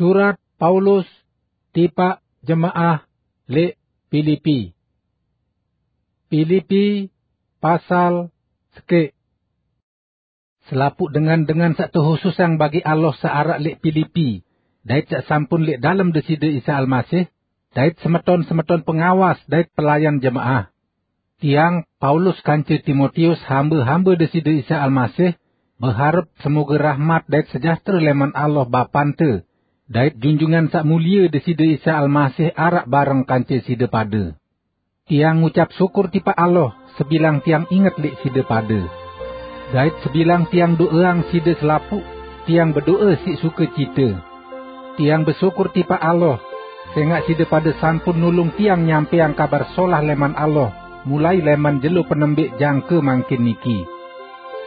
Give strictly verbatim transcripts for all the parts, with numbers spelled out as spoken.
Surat Paulus tipaq jemaah leq Pilipi. Pilipi pasal sekeq. Selapuq dengan-dengan saq tehususang bagi Allah saq araq leq Pilipi, dait saq sampun leq dalem Deside Isa Almasih, dait semeton-semeton pengawas dait pelayan jemaah. Tiang, Paulus, kance Timotius, hambe-hambe Deside Isa Almasih, beharep semoge rahmat dait sejahtere leman Allah Bapante, dait Junjungan Saq Mulie Deside Isa Almasih araq bareng kance side pade. Tiang ngucap syukur tipaq Allah, sebilang tiang inget leq side pade. Dait sebilang tiang do'eang side selapuq, tiang bedo'e siq sukecite. Tiang besyukur tipaq Allah, sengaq side pade sampun nulung tiang nyampeang Kabar Solah leman Allah, mulai leman jelo penembeq jangke mangkin niki.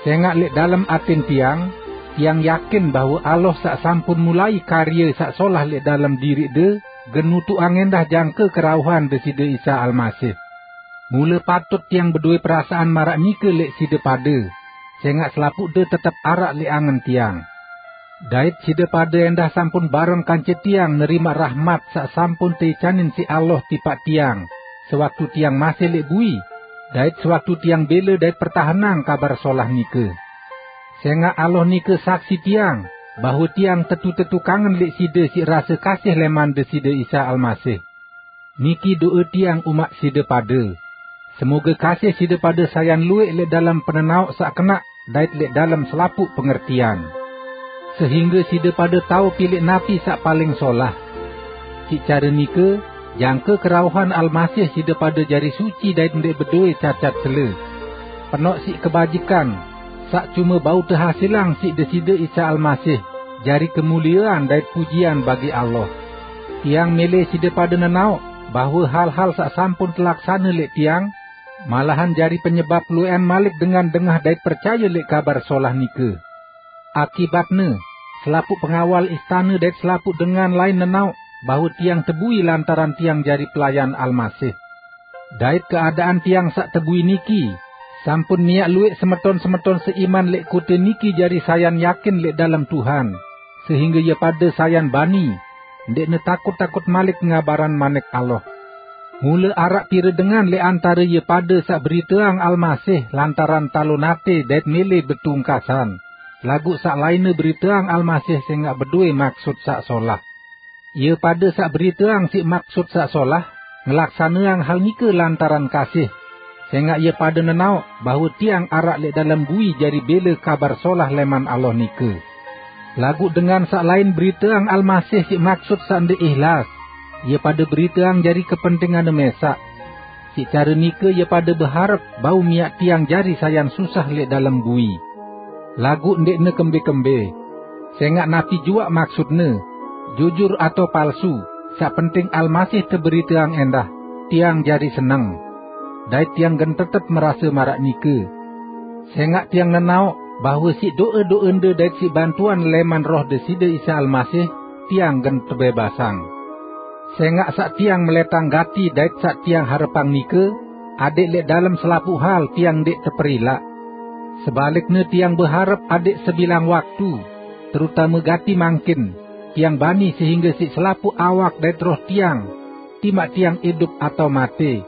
Sengaq leq dalem atin tiang, tiang yakin bahwe Allah saq sampun mulai karye saq solah leq dalem diriqde, gen nutuqang endah jangke kerauhan Deside Isa Almasih. Mule patut tiang bedowe perasaan maraq nike leq side pade, sengaq selapuqde tetep araq leq angen tiang. Dait side pade endah sampun bareng kance tiang nerimaq rahmat saq sampun teicanin siq Allah tipaq tiang, sewaktu tiang masih leq bui, dait sewaktu tiang bele dait pertahenang Kabar Solah nike. Sengaq Allah nike saksi tiang, bahwe tiang tetu-tetu kangen leq side siq rase kasih leman Deside Isa Almasih. Niki do'e tiang umaq side pade. Semoge kasih side pade sayan lueq leq dalem penenaoq saq kenaq dait leq dalem selapuq pengertian. Sehingge side pade tao pileq napi saq paling solah. Siq care nike, jangke kerauhan Almasih side pade jari suci dait ndeq bedowe cacat cele. Penoq siq kebajikan, saq cume bau tehasilang siq Deside Isa Almasih, jari kemuliean dait pujian bagi Allah. Tiang mele side pade nenaoq bahwe hal-hal saq sampun telaksane leq tiang, malahan jari penyebap lueqan malik dengan dengah dait percaye leq Kabar Solah nike. Akibatne, selapuq pengawal istane dait selapuq dengan lain nenaoq bahwe tiang tebui lantaran tiang jari pelayan Almasih. Dait keadaan tiang saq tebui niki, sampun miaq lueq semeton-semeton seiman leq kote niki jari sayan yakin leq dalem Tuhan, sehingge ie pade sayan bani, ndeqne takut-takut malik ngabaran Manik Allah. Mule araq pire dengan leq antare ie pade saq beriteang Almasih lantaran talon ate dait mele betungkasan, laguq saq lainne beriteang Almasih sengaq bedowe maksut saq solah. Ie pade saq beriteang siq maksut saq solah, ngelaksaneang hal nike lantaran kasih, sengaq ie pade nenaoq bahwe tiang araq leq dalem bui jari bele Kabar Solah leman Allah nike. Laguq dengan saq lain beriteang Almasih siq maksut saq ndeq ihlas, ie pade beriteang jari kepentinganne mesaq. Siq care nike ie pade beharep bau miaq tiang jari sayan susah leq dalem bui. Laguq ndeqne kembe-kembe. Sengaq napi juaq maksudne, jujur atao palsu, saq penting Almasih teberiteang endah, tiang jari seneng. Dait tiang gen tetep merase maraq nike. Sengaq tiang nenaoq bahwe siq do'e-do'ende dait siq bantuan leman Roh Deside Isa Almasih, tiang gen tebebasang. Sengaq saq tiang meletang gati dait saq tiang harepang nike, adeq leq dalem selapuq hal tiang ndeq teperilaq. Sebalikne tiang beharep adeq sebilang waktu, terutame gati mangkin, tiang bani sehingge siq selapuq awak dait roh tiang, timaq tiang idup atao mate,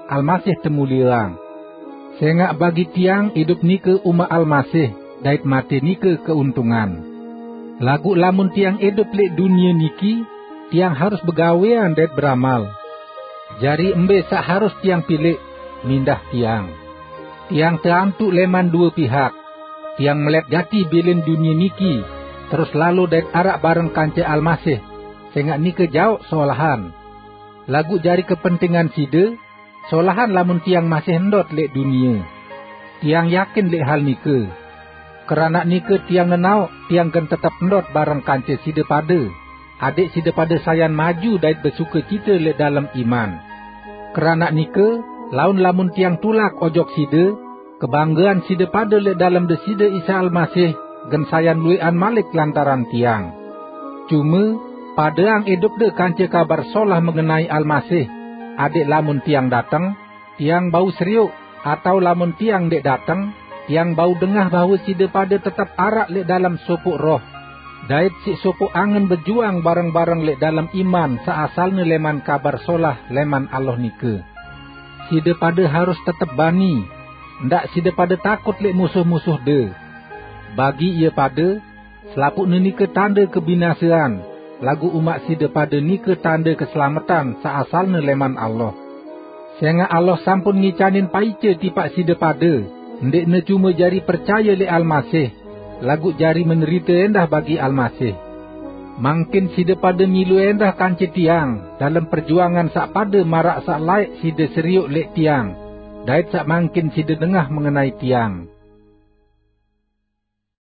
Almasih temulieang. Sengaq bagi tiang idup nike umaq Almasih, dait mate nike keuntungan. Laguq lamun tiang idup leq dunie niki, tiang harus begawean dait beramal. Jari mbe saq harus tiang pileq, mindah tiang? Tiang teantuq leman due pihak. Tiang melet gati bilin dunie niki, terus lalo dait araq bareng kance Almasih, sengaq nike jaoq solahan. Laguq jari kepentingan side, solahan lamun tiang masih ndot leq dunie. Tiang yakin leq hal nike. Keranaq nike tiang nenaoq tiang gen tetep ndot bareng kance side pade, adeq side pade sayan maju dait besukecite leq dalem iman. Keranaq nike, laun lamun tiang tulak ojok side, kebanggean side pade leq dalem Deside Isa Almasih gen sayan lueqan malik lantaran tiang. Cume, padeang idupde kance Kabar Solah mengenai Almasih, adeq lamun tiang dateng, tiang bau serioq, atao lamun tiang ndeq dateng, tiang bau dengah bahwe side pade tetep araq leq dalem sopoq roh. dait siq sopoq angen bejuang bareng-bareng leq dalem iman saq asalne leman Kabar Solah leman Allah nike. Side pade harus tetep bani, ndaq side pade takut leq musuh-musuhde. Bagi ie pade, selapuqne nike tande kebinasean, laguq umaq side pade nike tande keselametan saq asalne leman Allah. Sengaq Allah sampun ngicanin paice tipaq side pade, ndeqne cume jari percaye leq Almasih, laguq jari menderite endah bagi Almasih. Mangkin side pade milu endah kance tiang dalem perjuangan saq pade maraq saq laeq side serioq leq tiang, dait saq mangkin side dengah mengenai tiang.